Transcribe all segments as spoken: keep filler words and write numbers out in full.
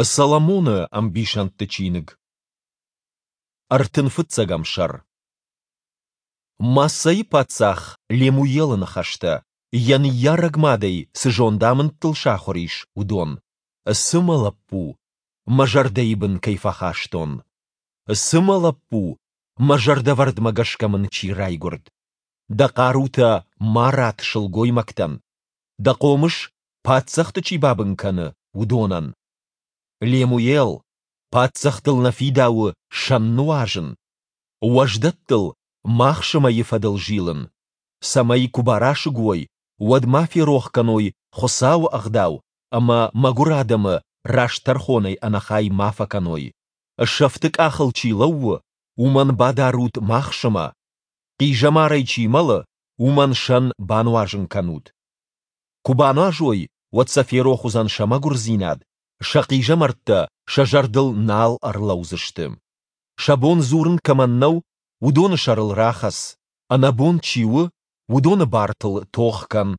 Соломоны ӕмбисӕндты чиныг. Ӕртын фыццӕгӕм сӕр. Массӕйы паддзах Лемуелы ныхӕстӕ, йӕ ныййарӕг мадӕй цы зондамындтыл сахуыр ис, уыдон. Цы, мӕ лӕппу, мӕ зӕрдӕйы бын кӕй фӕхастон? Цы, мӕ лӕппу, мӕ зӕрдӕвӕрдмӕ гӕсгӕ мын чи райгуырд? Дӕ хъарутӕ ма ратт сылгоймӕгтӕн, дӕ хъомыс, паддзӕхты чи бабын кӕны, уыдонӕн. Лемуел, паддзӕхтыл нӕ фидауы сӕн нуазын, уӕздӕттыл махсымӕйы фӕдыл зилын, цӕмӕй куы барасыг уой, уӕд ма ферох кӕной Хуыцауы ӕгъдау ӕмӕ мӕгуыр адӕмы раст тӕрхонӕй ӕнӕхай ма фӕкӕной. Сӕфты къахыл чи лӕууы, уымӕн бадарут махсымӕ, хъизӕмарӕй чи мӕлы, уымӕн сӕн бануазын кӕнут. Куы бануазой, уӕд сӕ ферох уыдзӕн сӕ мӕгуырдзинад, сӕ хъизӕмӕрттӕ сӕ зӕрдыл нал ӕрлӕудзысты. Сӕ бон дзурын кӕмӕн нӕу, уыдоны сӕрыл рахӕц, ӕнӕбон чи у, уыдоны бартыл тох кӕн.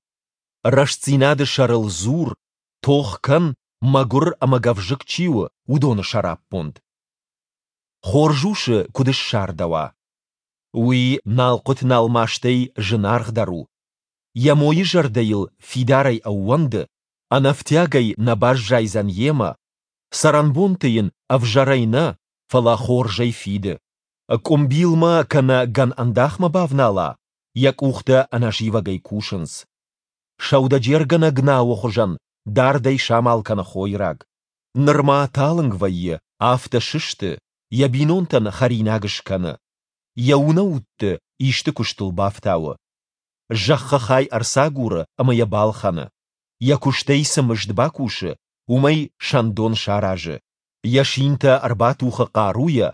Рӕстдзинады сӕрыл дзур, тох кӕн, мӕгуыр ӕмӕ гӕвзыкк чи у, уыдоны сӕраппонд. Хорз усы куыд ссардӕуа? Уый налхъуыт-налмастӕй зынаргъдӕр у. Йӕ мойы зӕрдӕ йыл фидарӕй ӕууӕнды, ӕнӕфтиагӕй нӕ баззайдзӕн йемӕ, цӕрӕнбонты йын ӕвзӕрӕй нӕ, фӕлӕ хорзӕй фиды. Къуымбилмӕ кӕнӕ гӕн ӕндахмӕ бавнала, йӕ къухтӕ ӕнӕзивӕгӕй кусынц. Сӕудӕджергӕнӕг науы хуызӕн дардӕй самал кӕны хойраг. Нырма талынг вӕййы, афтӕ сысты, йӕ бинонтӕн хӕринаг скӕны. Йӕ унӕутты исты куыстыл бафтауы. Зӕххы хай ӕрцагуры ӕмӕ йӕ балхӕны. Йӕ куыстӕй цы мызд бакусы, уымӕй сӕндон саразы. Йӕ синтӕ ӕрбатухы хъаруйӕ,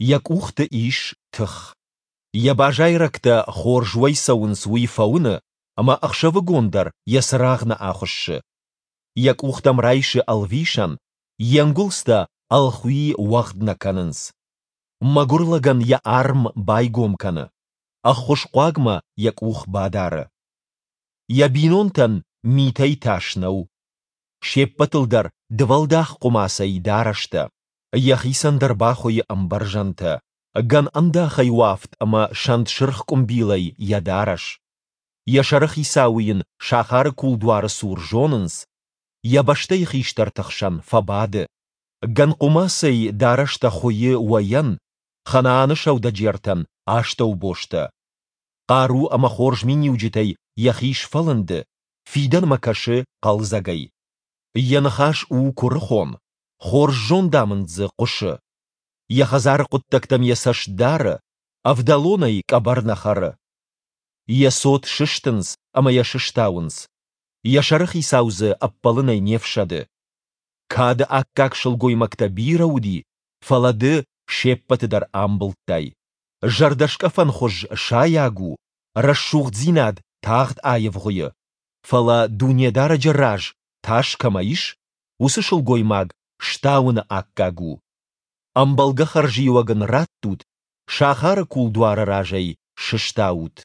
йӕ къухты ис тых. Йӕ базайрӕгтӕ хорз уӕй цӕуынц уый фӕуыны, ӕмӕ ӕхсӕвыгон дӕр йӕ цырагъ нӕ ахуыссы. Йӕ къухтӕм райсы ӕлвисӕн, йе нгуылдзтӕ ӕлхуи уӕгъд нӕ кӕнынц. Мӕгуыр лӕгӕн йӕ арм байгом кӕны, ӕххуысхъуагмӕ йӕ къух бадары. Йӕ бинонтӕн митӕй тас нӕу. Се ппӕтыл дӕр дывӕлдах хъуымацӕй дарӕстӕ. Йӕхицӕн дӕр бахуыйы ӕмбӕрзӕнтӕ, гӕн ӕндахӕй уӕфт ӕмӕ сӕнт сырх къуымбилӕй йӕ дарӕс. Йӕ сӕрыхицауы йын сахары кулдуары цур зонынц, йӕ бӕстӕйы хистӕрты хсӕн фӕбады. Гӕн хъуымацӕй дарӕстӕ хуыйы уӕйӕн, Ханааны сӕудӕджертӕн астӕубостӕ. Хъару ӕмӕ хорз миниуджытӕй йӕхи сфӕлынды, фидӕнмӕ кӕсы хъӕлдзӕгӕй. Йӕ ныхас у куырыхон, хорз зондамынд дзы хъуысы. Йӕ хӕдзары хъуыддӕгтӕм йӕ цӕст дары, ӕвдӕлонӕй къӕбӕр нӕ хӕры. Йӕ цот сыстынц ӕмӕ йӕ сыстауынц. Йӕ сӕрыхицау дзы ӕппӕлынӕй не фсӕды. Кады аккаг сылгоймӕгтӕ бирӕ уыди, фӕлӕ ды се ппӕты дӕр амбылдтай. Зӕрдӕскъӕфӕн хуыз сайаг у, рӕсугъддзинад тагъд аивгъуыйы, фӕлӕ Дунедарӕджы раз тас кӕмӕ ис, уыцы сылгоймаг стауыны аккаг у. Ӕмбӕлгӕ хӕрзиуӕг ын раттут, сахары кулдуары раз ӕй сыстаут.